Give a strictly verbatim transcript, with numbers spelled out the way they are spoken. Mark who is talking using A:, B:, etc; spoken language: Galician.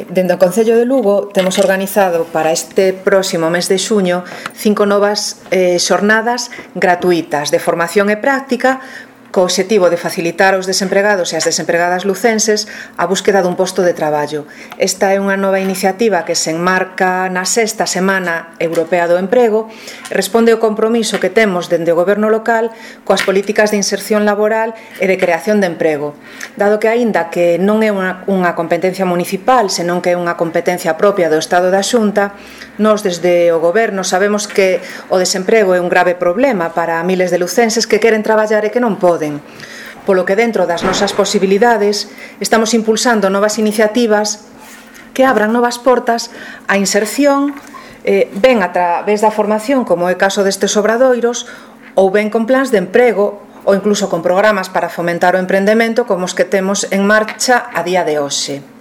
A: Dende o Concello de Lugo temos organizado para este próximo mes de xuño cinco novas eh, xornadas gratuitas de formación e práctica co obxectivo de facilitar aos desempregados e ás desempregadas lucenses a búsqueda dun posto de traballo. Esta é unha nova iniciativa que se enmarca na sexta Semana Europea do Emprego e responde ao compromiso que temos dende o goberno local coas políticas de inserción laboral e de creación de emprego. Dado que aínda que non é unha, unha competencia municipal, senón que é unha competencia propia do Estado da Xunta, nós desde o goberno sabemos que o desemprego é un grave problema para miles de lucenses que queren traballar e que non poden. Polo que dentro das nosas posibilidades estamos impulsando novas iniciativas que abran novas portas á inserción, eh, ben a través da formación, como é o caso destes obradoiros, ou ben con plans de emprego ou incluso con programas para fomentar o emprendemento como os que temos en marcha a día de hoxe.